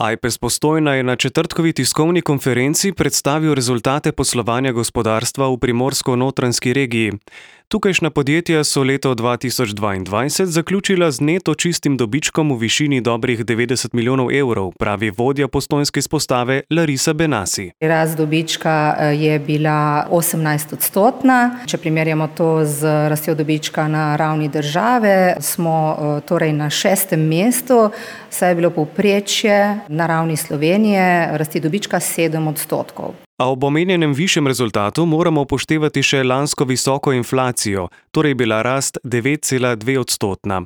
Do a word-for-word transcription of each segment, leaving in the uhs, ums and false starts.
Ajpes Postojna je na četrtkovi tiskovni konferenci predstavil rezultate poslovanja gospodarstva v primorsko-notranjski regiji. Tukajšnja podjetja so leto dva tisoč dvaindvajset zaključila z neto čistim dobičkom v višini dobrih devetdeset milijonov evrov, pravi vodja postojnske izpostave Larisa Benassi. Rast dobička je bila osemnajst odstotna. Če primerjamo to z rastjo dobička na ravni države, smo torej na šestem mestu, saj je bilo povprečje na ravni Slovenije rasti dobička sedem odstotkov. A ob omenjenem višjem rezultatu moramo upoštevati še lansko visoko inflacijo, torej bila rast devet cela dve odstotna.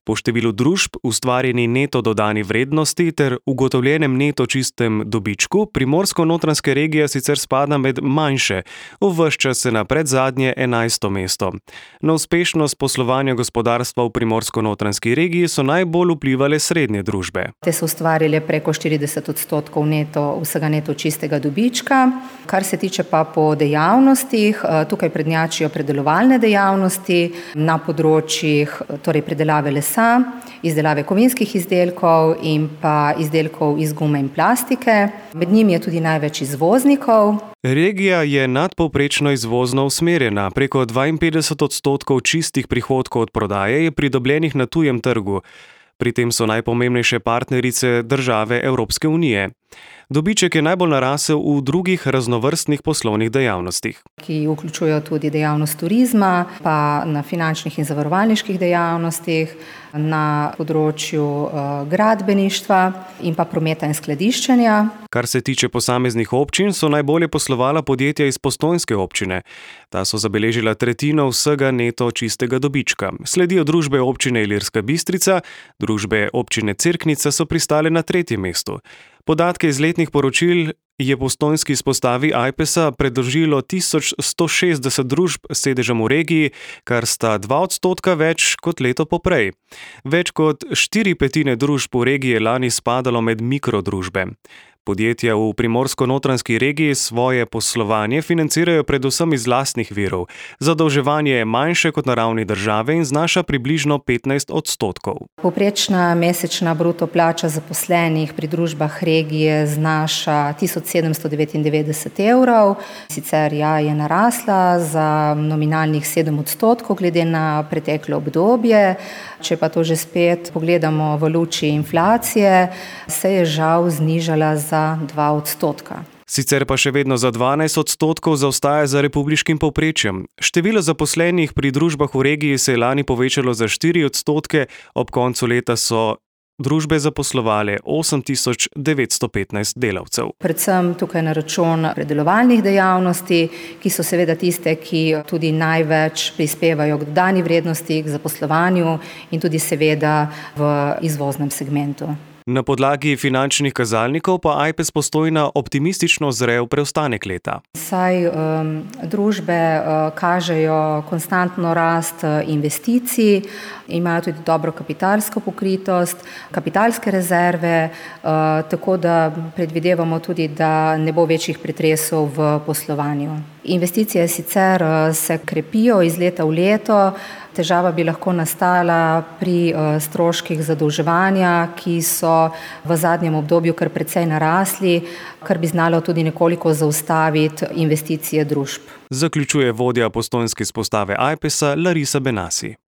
Po številu družb, ustvarjeni neto dodani vrednosti ter ugotovljenem neto čistem dobičku, primorsko-notranjska regija sicer spada med manjše, uvršča se na predzadnje enajsto mesto. Na uspešnost poslovanja gospodarstva v primorsko-notranjski regiji so najbolj vplivale srednje družbe. Te so ustvarile preko štirideset odstotkov neto, vsega neto čistega dobička. Kar se tiče pa po dejavnostih, tukaj prednjačijo predelovalne dejavnosti na področjih, torej predelave lesa, izdelave kovinskih izdelkov in pa izdelkov iz gume in plastike. Med njimi je tudi največ izvoznikov. Regija je nadpovprečno izvozno usmerjena, preko dvainpetdeset odstotkov čistih prihodkov od prodaje je pridobljenih na tujem trgu. Pri tem so najpomembnejše partnerice države Evropske unije. Dobiček je najbolj narasel v drugih raznovrstnih poslovnih dejavnostih, ki vključujejo tudi dejavnost turizma, pa na finančnih in zavarovalniških dejavnostih, na področju uh, gradbeništva in pa prometa in skladiščenja. Kar se tiče posameznih občin, so najbolje poslovala podjetja iz postojnske občine. Ta so zabeležila tretjino vsega neto čistega dobička. Sledijo družbe občine Ilirska Bistrica, družbe občine Cerknica so pristale na tretjem mestu. Podatke iz letnih poročil je postojnski izpostavi Ajpesa predložilo tisoč sto šestdeset družb s sedežem v regiji, kar sta dva odstotka več kot leto poprej. Več kot štiri petine družb v regiji je lani spadalo med mikrodružbe. Podjetja v primorsko-notranjski regiji svoje poslovanje financirajo predvsem iz lastnih virov. Zadolževanje je manjše kot na ravni države in znaša približno petnajst odstotkov. Povprečna mesečna bruto plača zaposlenih pri družbah regije znaša tisoč sedemsto devetindevetdeset evrov. Sicer ja, je narasla za nominalnih sedem odstotkov glede na preteklo obdobje. Če pa to že spet pogledamo v luči inflacije, se je žal znižala za dva odstotka. Sicer pa še vedno za dvanajst odstotkov zaostaja za republiškim povprečjem. Število zaposlenih pri družbah v regiji se je lani povečalo za štiri odstotke, ob koncu leta so družbe zaposlovale osem tisoč devetsto petnajst delavcev. Predvsem tukaj na račun predelovalnih dejavnosti, ki so seveda tiste, ki tudi največ prispevajo k dodani vrednosti, k zaposlovanju in tudi seveda v izvoznem segmentu. Na podlagi finančnih kazalnikov pa Ajpes Postojna optimistično zre v preostanek leta. Saj um, družbe uh, kažejo konstantno rast investicij, imajo tudi dobro kapitalsko pokritost, kapitalske rezerve, uh, tako da predvidevamo tudi, da ne bo večjih pretresov v poslovanju. Investicije sicer uh, se krepijo iz leta v leto. Težava bi lahko nastala pri stroških zadolževanja, ki so v zadnjem obdobju kar precej narasli, kar bi znalo tudi nekoliko zaustaviti investicije družb. Zaključuje vodja postojnske izpostave Ajpesa Larisa Benassi.